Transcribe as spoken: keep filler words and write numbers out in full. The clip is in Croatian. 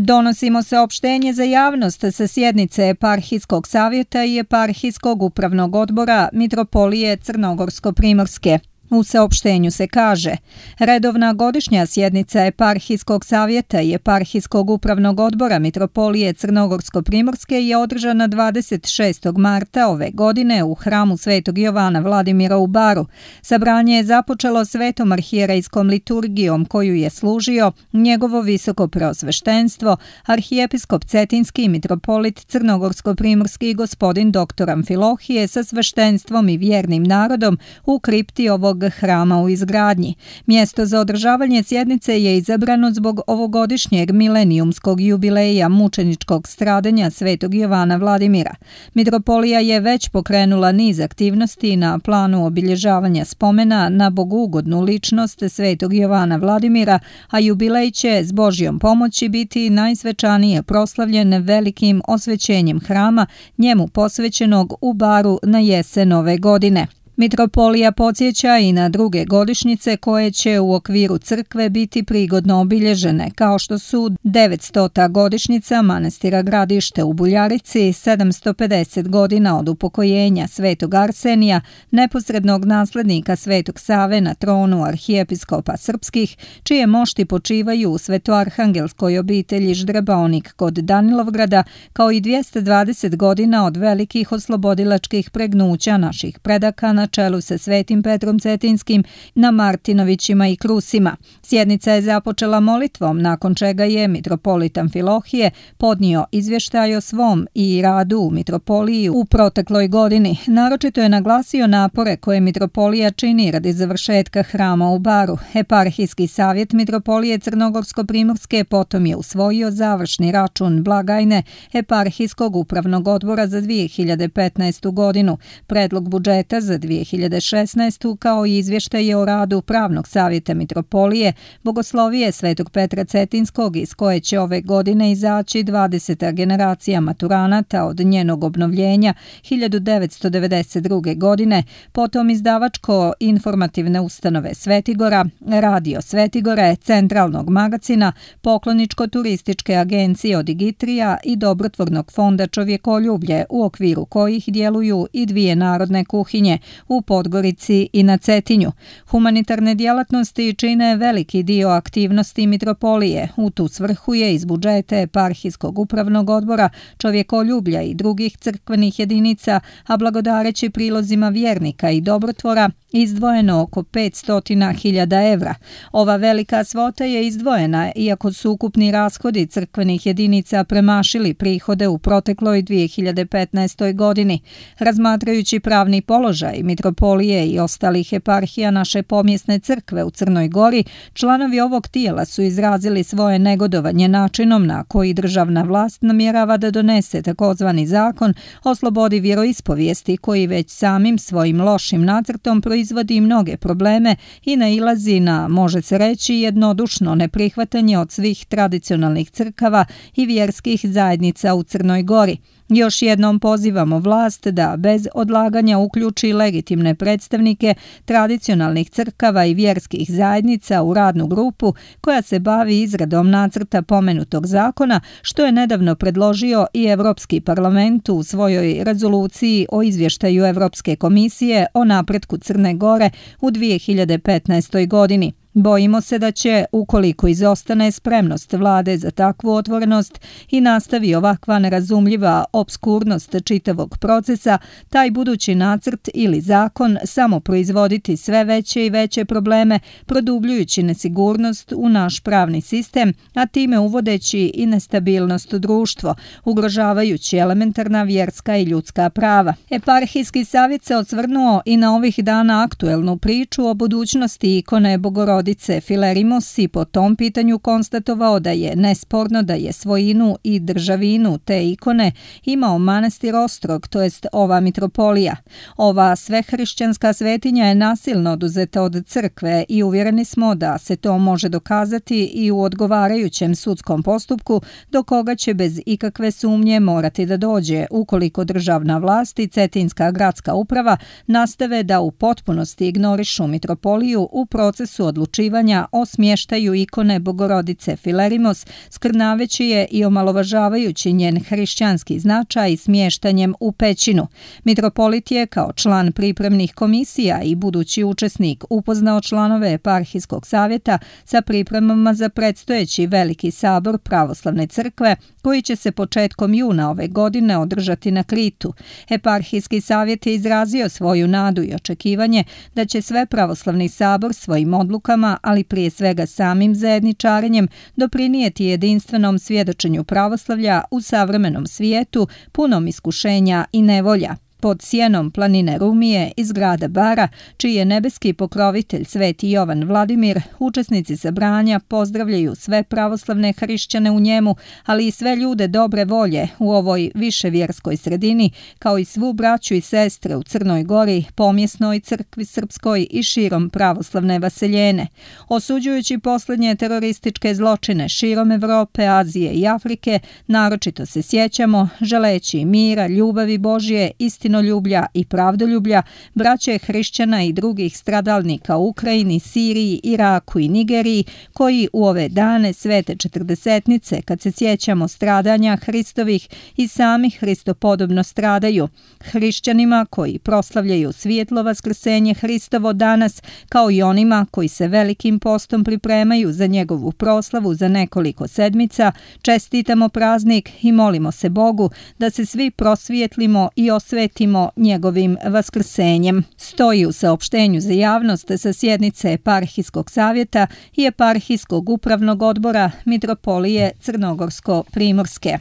Donosimo saopštenje za javnost sa sjednice Eparhijskog savjeta i Eparhijskog upravnog odbora Mitropolije Crnogorsko-primorske. U saopštenju se kaže: redovna godišnja sjednica Eparhijskog savjeta i Eparhijskog upravnog odbora Mitropolije Crnogorsko-primorske je održana dvadeset šestog marta ove godine u hramu Svetog Jovana Vladimira u Baru. Sabranje je započelo svetom arhijerejskom liturgijom koju je služio njegovo visoko preosveštenstvo, arhijepiskop Cetinski i mitropolit Crnogorsko-primorski gospodin doktor Amfilohije sa sveštenstvom i vjernim narodom u kripti ovog hrama u izgradnji. Mjesto za održavanje sjednice je izabrano zbog ovogodišnjeg milenijumskog jubileja mučeničkog stradanja Svetog Jovana Vladimira. Mitropolija je već pokrenula niz aktivnosti na planu obilježavanja spomena na bogugodnu ličnost Svetog Jovana Vladimira, a jubilej će s Božjom pomoći biti najsvečanije proslavljen velikim osvećenjem hrama njemu posvećenog u Baru na jesen ove godine. Mitropolija podsjeća i na druge godišnjice koje će u okviru crkve biti prigodno obilježene, kao što su devetstota godišnjica manastira Gradište u Buljarici, sedamsto pedeset godina od upokojenja Svetog Arsenija, neposrednog naslednika Svetog Save na tronu arhijepiskopa srpskih, čije mošti počivaju u svetoarhangelskoj obitelji Ždrebaonik kod Danilovgrada, kao i dvjesto dvadeset godina od velikih oslobodilačkih pregnuća naših predaka na čelu sa Svetim Petrom Cetinskim na Martinovićima i Krusima. Sjednica je započela molitvom, nakon čega je mitropolit Amfilohije podnio izvještaj o svom i radu u mitropoliji u protekloj godini. Naročito je naglasio napore koje mitropolija čini radi završetka hrama u Baru. Eparhijski savjet Mitropolije Crnogorsko-primorske potom je usvojio završni račun blagajne Eparhijskog upravnog odbora za dvije hiljade petnaestu godinu, predlog budžeta za dvije hiljade šesnaestu kao i izvještaje o radu Pravnog savjeta Mitropolije, Bogoslovije Svetog Petra Cetinskog, iz koje će ove godine izaći dvadeseta generacija maturanata od njenog obnovljenja hiljadu devetsto devedeset druge. godine, potom izdavačko-informativne ustanove Svetigora, Radio Svetigore, Centralnog magacina, Pokloničko-turističke agencije od Digitrija i Dobrotvornog fonda Čovjekoljublje, u okviru kojih djeluju i dvije narodne kuhinje u Podgorici i na Cetinju. Humanitarne djelatnosti čine veliki dio aktivnosti mitropolije. U tu svrhu je iz budžeta Eparhijskog upravnog odbora Čovjekoljublja i drugih crkvenih jedinica, a blagodareći prilozima vjernika i dobrotvora, izdvojeno oko petsto hiljada evra. Ova velika svota je izdvojena iako su ukupni rashodi crkvenih jedinica premašili prihode u protekloj dvije hiljade petnaestoj. godini. Razmatrajući pravni položaj mitropolije i ostalih eparhija naše pomjesne crkve u Crnoj Gori, članovi ovog tijela su izrazili svoje negodovanje načinom na koji državna vlast namjerava da donese takozvani zakon o slobodi vjeroispovijesti, koji već samim svojim lošim nacrtom proizvodi mnoge probleme i nailazi na, može se reći, jednodušno neprihvatanje od svih tradicionalnih crkava i vjerskih zajednica u Crnoj Gori. Još jednom pozivamo vlast da bez odlaganja uključi legitimne predstavnike tradicionalnih crkava i vjerskih zajednica u radnu grupu koja se bavi izradom nacrta pomenutog zakona, što je nedavno predložio i Evropski parlament u svojoj rezoluciji o izvještaju Evropske komisije o napretku Crne Gore u dvije hiljade petnaestoj. godini. Bojimo se da će, ukoliko izostane spremnost vlade za takvu otvorenost i nastavi ovakva nerazumljiva obskurnost čitavog procesa, taj budući nacrt ili zakon samo proizvoditi sve veće i veće probleme, produbljujući nesigurnost u naš pravni sistem, a time uvodeći i nestabilnost u društvo, ugrožavajući elementarna vjerska i ljudska prava. Eparhijski savjet se osvrnuo i na ovih dana aktuelnu priču o budućnosti ikone Bogorodice Filerimos i po tom pitanju konstatovao da je nesporno da je svojinu i državinu te ikone imao manastir Ostrog, to jest ova mitropolija. Ova svehrišćanska svetinja je nasilno oduzeta od crkve i uvjereni smo da se to može dokazati i u odgovarajućem sudskom postupku, do koga će bez ikakve sumnje morati da dođe ukoliko državna vlast i Cetinska gradska uprava nastave da u potpunosti ignorišu mitropoliju u procesu odlučivanja odlučivanja o smještaju ikone Bogorodice Filerimos, skrnaveći je i omalovažavajući njen hrišćanski značaj smještanjem u pećinu. Mitropolit je kao član pripremnih komisija i budući učesnik upoznao članove eparhijskog savjeta sa pripremama za predstojeći veliki sabor pravoslavne crkve koji će se početkom juna ove godine održati na Kritu. Eparhijski savjet je izrazio svoju nadu i očekivanje da će sve pravoslavni sabor svojim odlukama, ali prije svega samim zajedničarenjem, doprinijeti jedinstvenom svjedočenju pravoslavlja u savremenom svijetu punom iskušenja i nevolja. Pod sjenom planine Rumije iz grada Bara, čiji je nebeski pokrovitelj Sveti Jovan Vladimir, učesnici sabranja pozdravljaju sve pravoslavne hrišćane u njemu, ali i sve ljude dobre volje u ovoj viševjerskoj sredini, kao i svu braću i sestre u Crnoj Gori, pomjesnoj crkvi srpskoj i širom pravoslavne vaseljene. Osuđujući posljednje terorističke zločine širom Evrope, Azije i Afrike, naročito se sjećamo, želeći mira, ljubavi Božje, istine ljublja i pravdoljublja, braće hrišćana i drugih stradalnika u Ukrajini, Siriji, Iraku i Nigeriji, koji u ove dane svete četrdesetnice, kad se sjećamo stradanja Hristovih, i sami Hristopodobno stradaju. Hrišćanima koji proslavljaju svijetlo vaskrsenje Hristovo danas, kao i onima koji se velikim postom pripremaju za njegovu proslavu za nekoliko sedmica, čestitamo praznik i molimo se Bogu da se svi prosvijetlimo i osvetimo njegovim vaskrsenjem. Stoji u saopštenju za javnost sa sjednice Eparhijskog savjeta i Eparhijskog upravnog odbora Mitropolije Crnogorsko-Primorske.